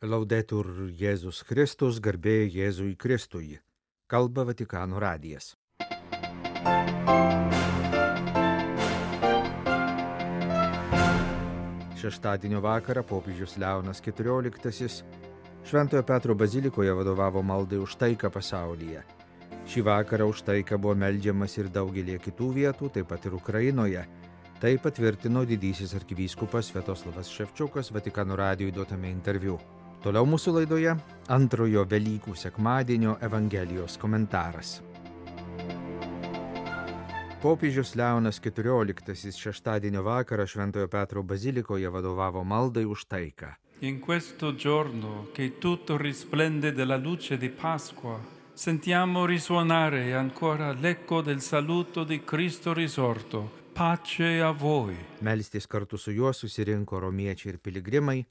Laudetur Jėzus Kristus, garbė Jėzui Kristui. Kalba Vatikano radijas. Šeštadienio vakarą popiežius Leonas XIV Šventojo Petro bazilikoje vadovavo maldai už taiką pasaulyje. Šį vakarą už taiką buvo meldžiamas ir daugelį kitų vietų, taip pat ir Ukrainoje. Tai patvirtino didysis arkivyskupas Sviatoslavas Ševčiukas Vatikano radijui duotame interviu. Toliau mūsų laidoje antrojo Velykų sekmadienio Evangelijos komentaras. Popiežius Leonas XIV šeštadienio vakarą Šventojo Petro bazilikoje vadovavo maldai už taiką. In questo giorno che tutto risplende della luce di Pasqua, sentiamo risuonare ancora l'eco del saluto di Cristo risorto. Pace a voi. Melstis kartu su juo susirinko romiečiai ir piligrimai.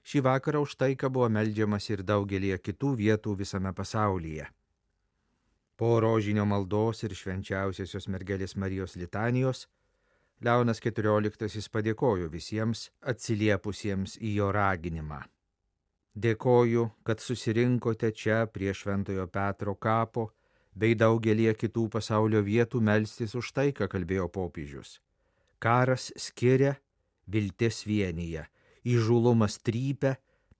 Šį vakarą už taiką buvo meldžiamas ir daugelį kitų vietų visame pasaulyje. Po rožinio maldos ir švenčiausiosios mergelės Marijos litanijos, Leonas XIV padėkojo visiems atsiliepusiems į jo raginimą. Dėkoju, kad susirinkote čia prie Šventojo Petro kapo, bei daugelį kitų pasaulio vietų melstis už taiką, kalbėjo popiežius. Karas skiria, viltis vienyje. Įžūlumas trypia,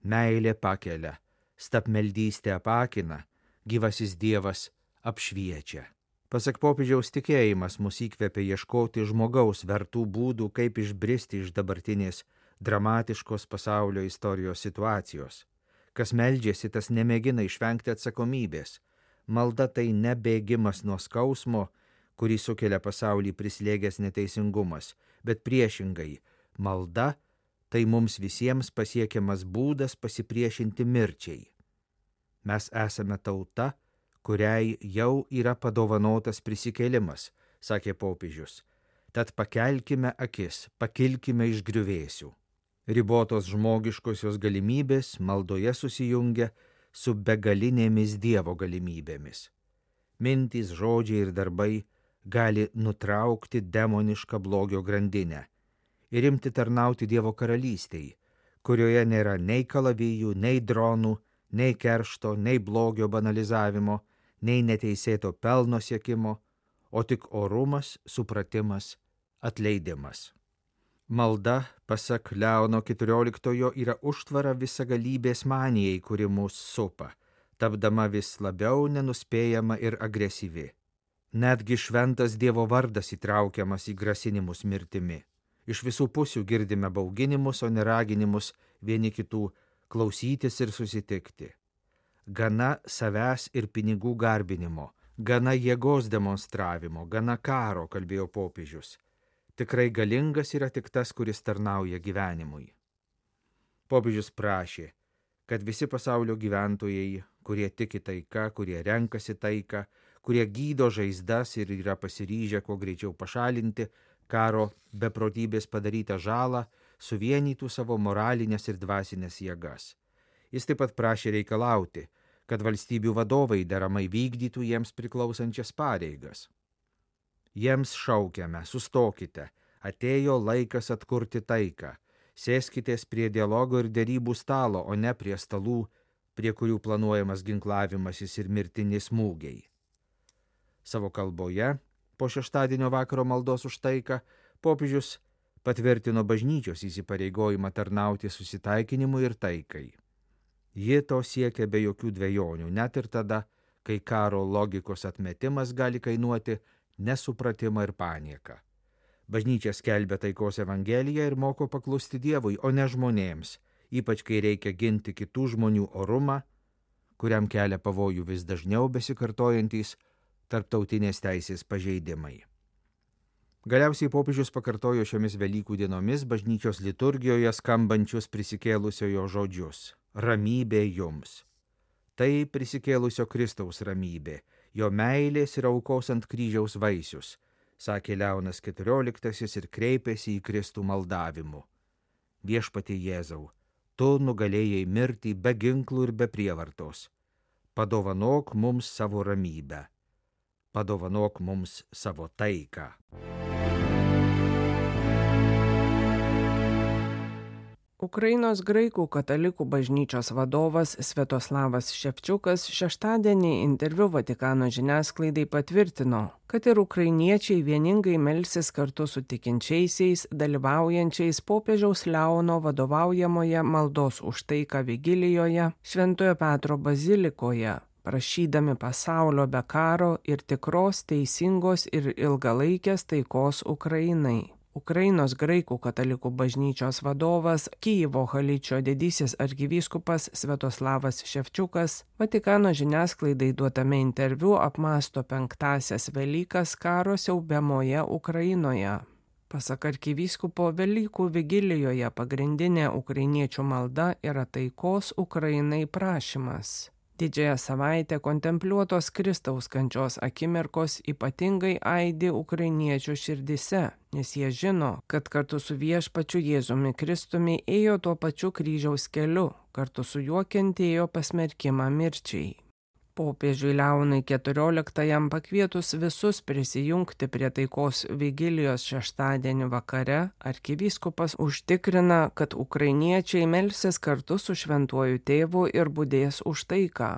meilė pakelia, stabmeldystė apakina, gyvasis Dievas apšviečia. Pasak popiežiaus, tikėjimas mus įkvepia ieškoti žmogaus vertų būdų, kaip išbristi iš dabartinės dramatiškos pasaulio istorijos situacijos. Kas meldžiasi, tas nemėgina išvengti atsakomybės. Malda tai ne bėgimas nuo skausmo, kurį sukelia pasaulį prislėgęs neteisingumas, bet priešingai, malda tai mums visiems pasiekiamas būdas pasipriešinti mirčiai. Mes esame tauta, kuriai jau yra padovanotas prisikėlimas, sakė popiežius. Tad pakelkime akis, pakilkime iš griuvėsių. Ribotos žmogiškosios galimybės maldoje susijungia su begalinėmis Dievo galimybėmis. Mintys, žodžiai ir darbai gali nutraukti demonišką blogio grandinę ir imti tarnauti Dievo karalystei, kurioje nėra nei kalavijų, nei dronų, nei keršto, nei blogio banalizavimo, nei neteisėto pelno siekimo, o tik orumas, supratimas, atleidimas. Malda, pasak Leono XIV, yra užtvara visagalybės manijai, kuri mus supa, tapdama vis labiau nenuspėjama ir agresyvi. Netgi šventas Dievo vardas įtraukiamas į grasinimus mirtimi. Iš visų pusių girdime bauginimus, o ne raginimus vieni kitų klausytis ir susitikti. Gana savęs ir pinigų garbinimo, gana jėgos demonstravimo, gana karo, kalbėjo popiežius. Tikrai galingas yra tik tas, kuris tarnauja gyvenimui. Popiežius prašė, kad visi pasaulio gyventojai, kurie tiki taika, kurie renkasi taiką, kurie gydo žaizdas ir yra pasiryžę kuo greičiau pašalinti karo beprotybės padarytą žalą, suvienytų savo moralinės ir dvasinės jėgas. Jis taip pat prašė reikalauti, kad valstybių vadovai deramai vykdytų jiems priklausančias pareigas. Jiems šaukiame, sustokite, atėjo laikas atkurti taiką, sėskitės prie dialogo ir derybų stalo, o ne prie stalų, prie kurių planuojamas ginklavimasis ir mirtini smūgiai. Savo kalboje, po šeštadienio vakaro maldos už taiką, popiežius patvirtino bažnyčios įsipareigojimą tarnauti susitaikinimui ir taikai. Ji to siekia be jokių dvejonių, net ir tada, kai karo logikos atmetimas gali kainuoti nesupratimą ir panieką. Bažnyčia skelbia taikos evangeliją ir moko paklusti Dievui, o ne žmonėms, ypač kai reikia ginti kitų žmonių orumą, kuriam kelia pavojų vis dažniau besikartojantys tarptautinės teisės pažeidimai. Galiausiai popiežius pakartojo šiomis Velykų dienomis bažnyčios liturgijoje skambančius prisikėlusiojo žodžius: ramybė jums. Tai prisikėlusio Kristaus ramybė, jo meilės ir aukos ant kryžiaus vaisius, sakė Leonas XIV ir kreipėsi į Kristų maldavimu. Viešpatie Jėzau, tu nugalėjai mirtį be ginklų ir be prievartos. Padovanok mums savo ramybę. Padovanok mums savo taiką. Ukrainos graikų katalikų bažnyčios vadovas Sviatoslavas Ševčiukas šeštadienį interviu Vatikano žiniasklaidai patvirtino, kad ir ukrainiečiai vieningai melsis kartu su tikinčiaisiais, dalyvaujančiais popiežiaus Leono vadovaujamoje maldos už taiką vigilijoje Šventojo Petro bazilikoje, prašydami pasaulio be karo ir tikros, teisingos ir ilgalaikės taikos Ukrainai. Ukrainos graikų katalikų bažnyčios vadovas Kyjivo Haličio didysis arkivyskupas Sviatoslavas Ševčiukas Vatikano žiniasklaidai duotame interviu apmąsto 5-asias Velykas karo siaubiamoje Ukrainoje. Pasak arkivyskupo, Velykų vigilijoje pagrindinė ukrainiečių malda yra taikos Ukrainai prašymas. Didžiąją savaitę kontempliuotos Kristaus kančios akimirkos ypatingai aidi ukrainiečių širdise, nes jie žino, kad kartu su viešpačiu Jėzumi Kristumi ėjo tuo pačiu kryžiaus keliu, kartu su juo kentėjo pasmerkimą mirčiai. Popiežiui Leonui XIV pakvietus visus prisijungti prie taikos vigilijos šeštadienį vakare, arkivyskupas užtikrina, kad ukrainiečiai melsis kartu su šventuoju tėvu ir budės už taiką.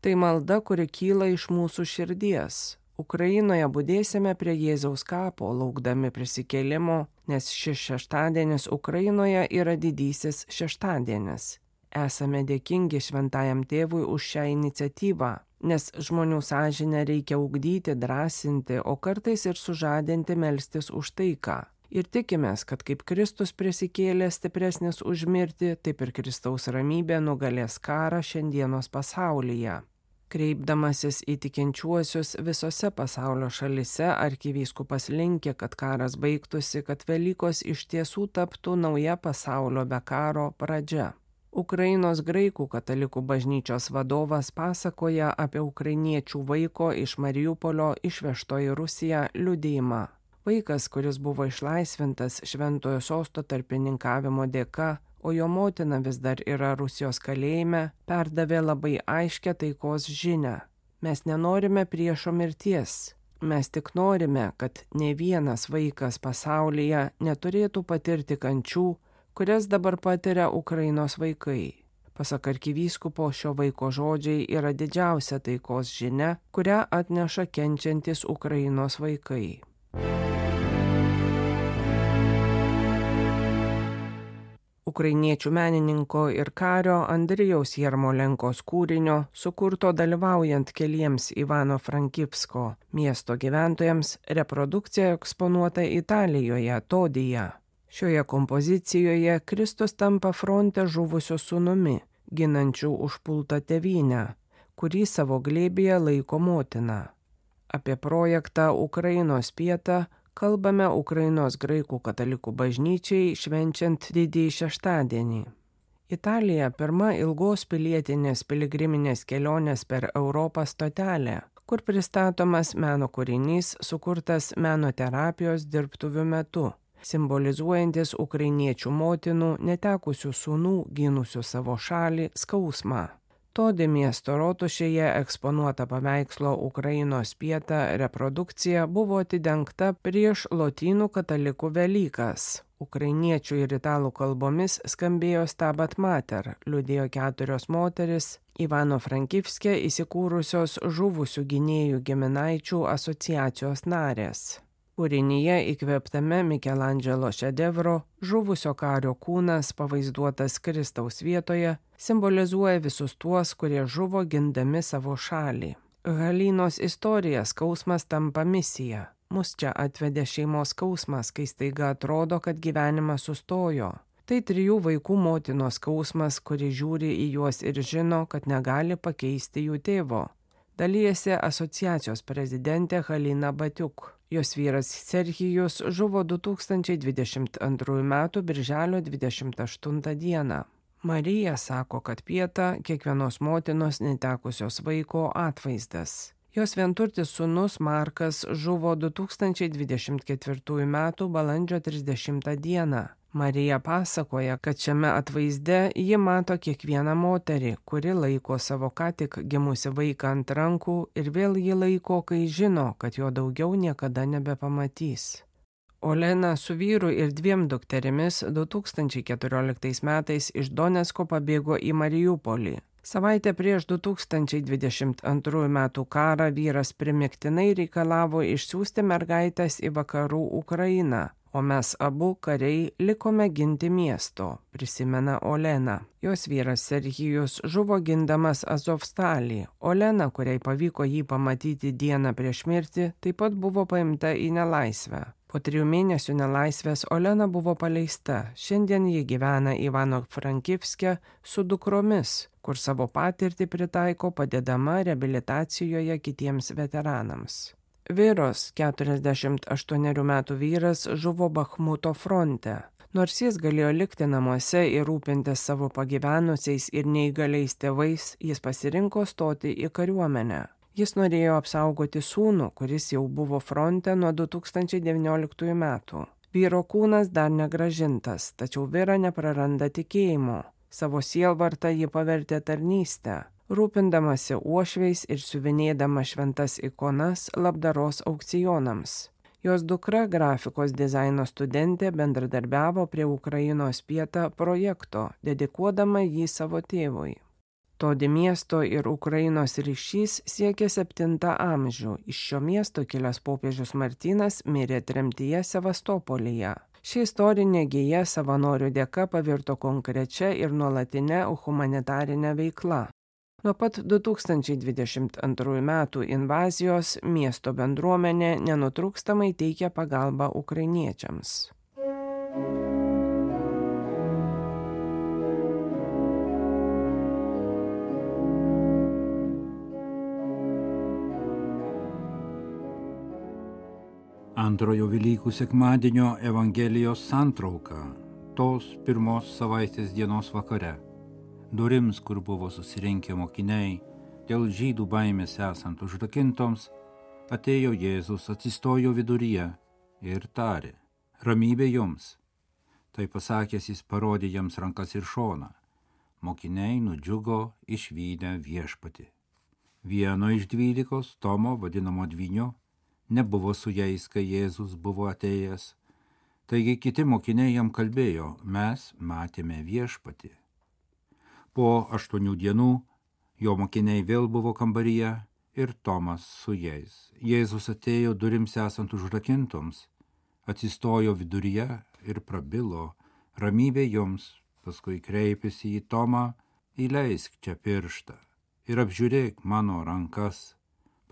Tai malda, kuri kyla iš mūsų širdies. Ukrainoje budėsime prie Jėzaus kapo, laukdami prisikėlimo, nes šis šeštadienis Ukrainoje yra didysis šeštadienis. Esame dėkingi šventajam tėvui už šią iniciatyvą, nes žmonių sąžinę reikia ugdyti, drąsinti, o kartais ir sužadinti melstis už taiką. Ir tikimės, kad kaip Kristus prisikėlė stipresnis už mirtį, taip ir Kristaus ramybė nugalės karą šiandienos pasaulyje. Kreipdamasis į tikinčiuosius visose pasaulio šalise, arkivyskupas linkė, kad karas baigtųsi, kad Velykos iš tiesų taptų nauja pasaulio be karo pradžia. Ukrainos graikų katalikų bažnyčios vadovas pasakoja apie ukrainiečių vaiko iš Mariupolio išvežto į Rusiją liudijimą. Vaikas, kuris buvo išlaisvintas Šventojo Sosto tarpininkavimo dėka, o jo motina vis dar yra Rusijos kalėjime, perdavė labai aiškią taikos žinią. Mes nenorime priešo mirties. Mes tik norime, kad ne vienas vaikas pasaulyje neturėtų patirti kančių, kurias dabar patiria Ukrainos vaikai. Pasak arkivyskupo, šio vaiko žodžiai yra didžiausia taikos žinia, kurią atneša kenčiantis Ukrainos vaikai. Ukrainiečių menininko ir kario Andrijaus Jarmolenkos kūrinio, sukurto dalyvaujant keliems Ivano-Frankivsko miesto gyventojams, reprodukcija eksponuota Italijoje, Todyje. Šioje kompozicijoje Kristus tampa fronte žuvusiu sūnumi, ginančiu užpultą tėvynę, kurį savo glėbyje laiko motina. Apie projektą Ukrainos pietą kalbame Ukrainos graikų katalikų bažnyčiai švenčiant didįjį šeštadienį. Italija pirma ilgos pilietinės piligriminės kelionės per Europą stotelė, kur pristatomas meno kūrinys sukurtas meno terapijos dirbtuvių metu, simbolizuojantis ukrainiečių motinų netekusių sūnų gynusių savo šalį skausmą. Todi miesto rotušėje eksponuota paveikslo Ukrainos pieta reprodukcija buvo atidengta prieš lotynų katalikų Velykas. Ukrainiečių ir italų kalbomis skambėjo Stabat Mater, liudėjo 4 moteris Ivano-Frankivske įsikūrusios žuvusių gynėjų giminaičių asociacijos narės. Kūrinyje įkvėptame Mikelandželo šedevro žuvusio kario kūnas pavaizduotas Kristaus vietoje simbolizuoja visus tuos, kurie žuvo gindami savo šalį. Halinos istorija skausmas tampa misija. Mus čia atvedė šeimos skausmas, kai staiga atrodo, kad gyvenimas sustojo. Tai 3 vaikų motinos skausmas, kuri žiūri į juos ir žino, kad negali pakeisti jų tėvo. Dalyjasi asociacijos prezidentė Halina Batiuk. Jos vyras Serhijus žuvo 2022 m. birželio 28 d. Marija sako, kad pieta kiekvienos motinos netekusios vaiko atvaizdas. Jos vienturtis sūnus Markas žuvo 2024 m. balandžio 30 d. Marija pasakoja, kad šiame atvaizde ji mato kiekvieną moterį, kuri laiko savo ką tik gimusi vaiką ant rankų ir vėl jį laiko, kai žino, kad jo daugiau niekada nebepamatys. Olena su vyru ir 2 dukterimis 2014 metais iš Donecko pabėgo į Mariupolį. Savaitę prieš 2022 metų karą vyras primygtinai reikalavo išsiųsti mergaitės į vakarų Ukrainą, o mes abu kariai likome ginti miesto, prisimena Olena. Jos vyras Serhijus žuvo gindamas Azovstalį. Olena, kuriai pavyko jį pamatyti dieną prieš mirtį, taip pat buvo paimta į nelaisvę. Po 3 mėnesių nelaisvės Olena buvo paleista. Šiandien ji gyvena Ivano-Frankivske su dukromis, kur savo patirtį pritaiko padėdama reabilitacijoje kitiems veteranams. Viros, 48 metų vyras, žuvo Bachmuto fronte. Nors jis galėjo likti namuose ir rūpintis savo pagyvenusiais ir neįgaliais tėvais, jis pasirinko stoti į kariuomenę. Jis norėjo apsaugoti sūnų, kuris jau buvo fronte nuo 2019 metų. Vyro kūnas dar negrąžintas, tačiau Vira nepraranda tikėjimo. Savo sielvartą ji pavertė tarnystę, rūpindamasi uošviais ir siuvinėdama šventas ikonas labdaros aukcionams. Jos dukra, grafikos dizaino studentė, bendradarbiavo prie Ukrainos Pieta projekto, dedikuodama jį savo tėvui. Todi miesto ir Ukrainos ryšys siekia 7 amžių. Iš šio miesto kilęs popiežius Martynas mirė tremtyje Sevastopolyje. Ši istorinė gija savanorių dėka pavirto konkrečia ir nuolatinė humanitarinė veikla. Nuo pat 2022 metų invazijos miesto bendruomenė nenutrūkstamai teikia pagalbą ukrainiečiams. Antrojo Velykų sekmadienio Evangelijos santrauka, tos pirmos savaitės dienos vakare. Durims, kur buvo susirinkę mokiniai, dėl žydų baimės esant užrakintoms, atėjo Jėzus, atsistojo viduryje ir tarė: ramybė jums. Tai pasakęs jis parodė jiems rankas ir šoną. Mokiniai nudžiugo išvydę viešpatį. Vieno iš 12, Tomo, vadinamo Dvyniu, nebuvo su jais, kai Jėzus buvo atėjęs. Taigi kiti mokiniai jam kalbėjo: mes matėme viešpatį. Po 8 dienų jo mokiniai vėl buvo kambaryje ir Tomas su jais. Jėzus atėjo durims esant užrakintoms, atsistojo viduryje ir prabilo: ramybė jums. Paskui kreipėsi į Tomą: įleisk čia pirštą ir apžiūrėk mano rankas.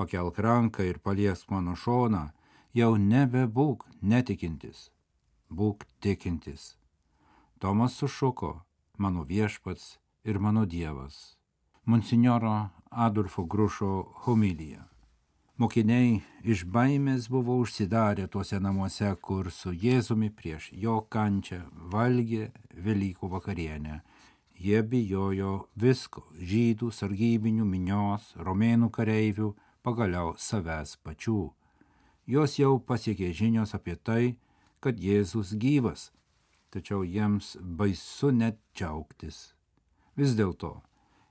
Pakelk ranką ir paliesk mano šoną, jau nebebūk netikintis, būk tikintis. Tomas sušuko: mano viešpats ir mano Dievas. Monsinjoro Adolfo Grušo homilija. Mokiniai iš baimės buvo užsidarę tuose namuose, kur su Jėzumi prieš jo kančią valgė Velykų vakarienę. Jie bijojo visko – žydų, sargybinių, minios, romėnų kareivių, pagaliau savęs pačių. Jos jau pasiekė žinios apie tai, kad Jėzus gyvas, tačiau jiems baisu net džiaugtis. Vis dėlto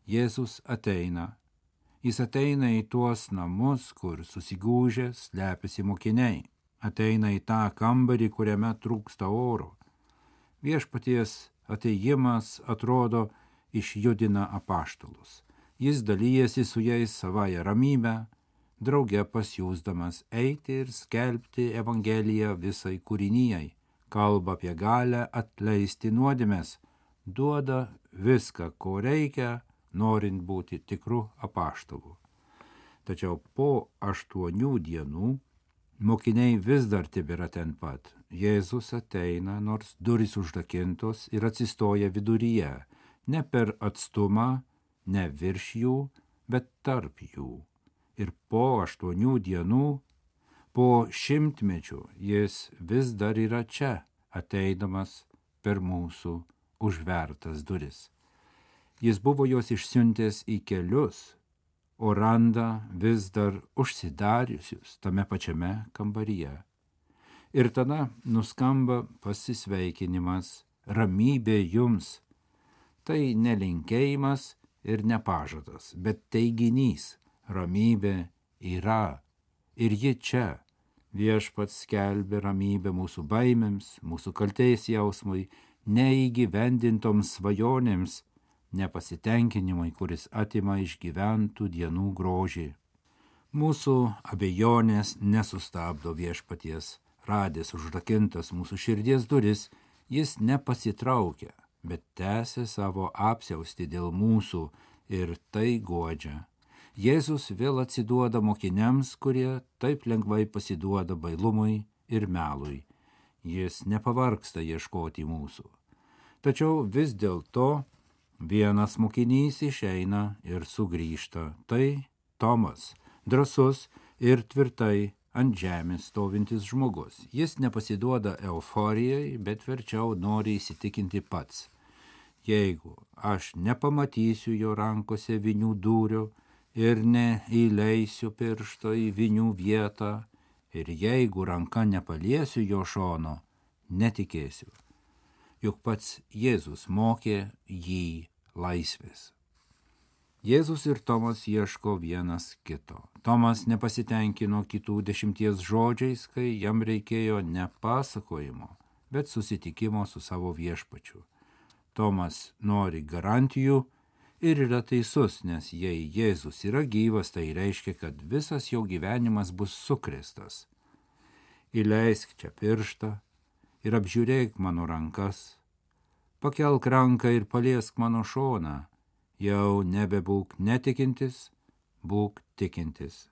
Jėzus ateina. Jis ateina į tuos namus, kur susigūžę slepiasi mokiniai. Ateina į tą kambarį, kuriame trūksta oro. Viešpaties ateijimas atrodo išjudina apaštalus. Jis dalyjasi su jais savąją ramybę, drauge pasiųsdamas eiti ir skelbti Evangeliją visai kūrinijai, kalba apie galią atleisti nuodėmes, duoda viską, ko reikia, norint būti tikru apaštalu. Tačiau po 8 dienų mokiniai vis dar tebėra ten pat. Jėzus ateina, nors durys užrakintos, ir atsistoja viduryje, ne per atstumą, ne virš jų, bet tarp jų. Ir po 8 dienų, po 100-mečių, jis vis dar yra čia, ateidamas per mūsų užvertas duris. Jis buvo juos išsiuntęs į kelius, o randa vis dar užsidariusius tame pačiame kambaryje. Ir tada nuskamba pasisveikinimas: ramybė jums. Tai nelinkėjimas ir nepažadas, bet teiginys: ramybė yra ir ji čia, Viešpats skelbia ramybę mūsų baimėms, mūsų kaltės jausmui, neįgyvendintoms svajonėms, nepasitenkinimui, kuris atima iš gyventų dienų grožį. Mūsų abejonės nesustabdo viešpaties, radęs užrakintas mūsų širdies duris, jis nepasitraukia, bet tęsia savo apsiaustį dėl mūsų ir tai guodžia. Jėzus vėl atsiduoda mokiniams, kurie taip lengvai pasiduoda bailumui ir melui. Jis nepavargsta ieškoti mūsų. Tačiau vis dėlto vienas mokinys išeina ir sugrįžta. Tai Tomas, drąsus ir tvirtai ant žemės stovintis žmogus. Jis nepasiduoda euforijai, bet verčiau nori įsitikinti pats. Jeigu aš nepamatysiu jo rankose vinių dūrio ir neįleisiu piršto į vinių vietą, ir jeigu ranka nepaliesiu jo šono, netikėsiu. Juk pats Jėzus mokė jį laisvės. Jėzus ir Tomas ieško vienas kito. Tomas nepasitenkino kitų 10 žodžiais, kai jam reikėjo ne pasakojimo, bet susitikimo su savo viešpačiu. Tomas nori garantijų ir yra teisus, nes jei Jėzus yra gyvas, tai reiškia, kad visas jo gyvenimas bus sukrėstas. Įleisk čia pirštą ir apžiūrėk mano rankas, pakelk ranką ir paliesk mano šoną, jau nebebūk netikintis, būk tikintis.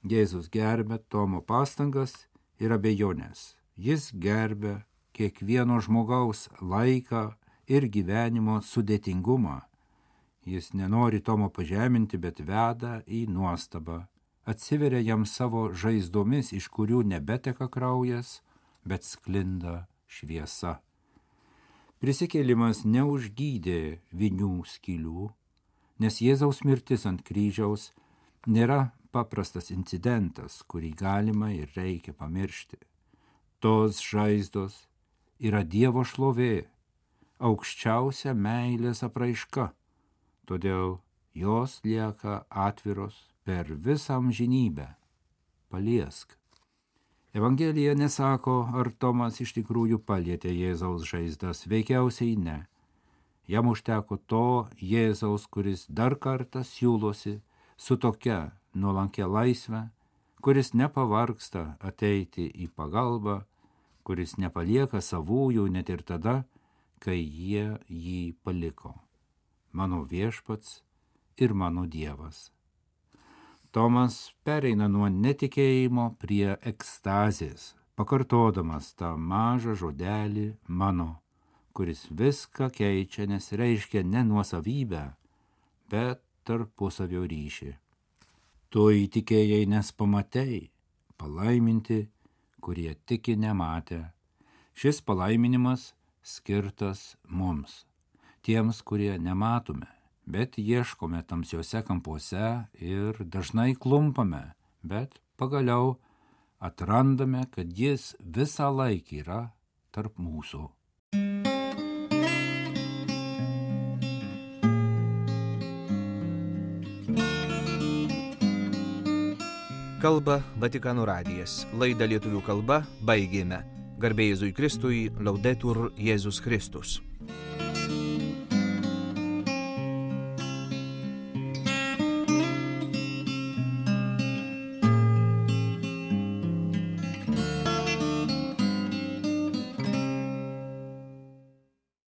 Jėzus gerbia Tomo pastangas ir abejonės. Jis gerbia kiekvieno žmogaus laiką ir gyvenimo sudėtingumą. Jis nenori Tomo pažeminti, bet veda į nuostabą. Atsiveria jam savo žaizdomis, iš kurių nebeteka kraujas, bet sklinda šviesa. Prisikėlimas neužgydė vinių skylių, nes Jėzaus mirtis ant kryžiaus nėra paprastas incidentas, kurį galima ir reikia pamiršti. Tos žaizdos yra Dievo šlovė, aukščiausia meilės apraiška, todėl jos lieka atviros per visą amžinybę. Paliesk. Evangelija nesako, ar Tomas iš tikrųjų palietė Jėzaus žaizdas, veikiausiai ne. Jam užteko to Jėzaus, kuris dar kartą siūlosi su tokia nuolankia laisve, kuris nepavargsta ateiti į pagalbą, kuris nepalieka savųjų net ir tada, kai jie jį paliko. Mano viešpats ir mano Dievas. Tomas pereina nuo netikėjimo prie ekstazės, pakartodamas tą mažą žodelį mano, kuris viską keičia, nes reiškia ne nuosavybę, bet tarpusavio ryšį. Tu įtikėjai, nes pamatei, palaiminti, kurie tiki nematę. Šis palaiminimas skirtas mums, tiems, kurie nematome, bet ieškome tamsiuose kampuose ir dažnai klumpame, bet pagaliau atrandame, kad jis visą laiką yra tarp mūsų. Kalba Vatikano radijas. Laidą lietuvių kalba baigėme. Garbė Jėzui Kristui, Laudetur Jėzus Kristus.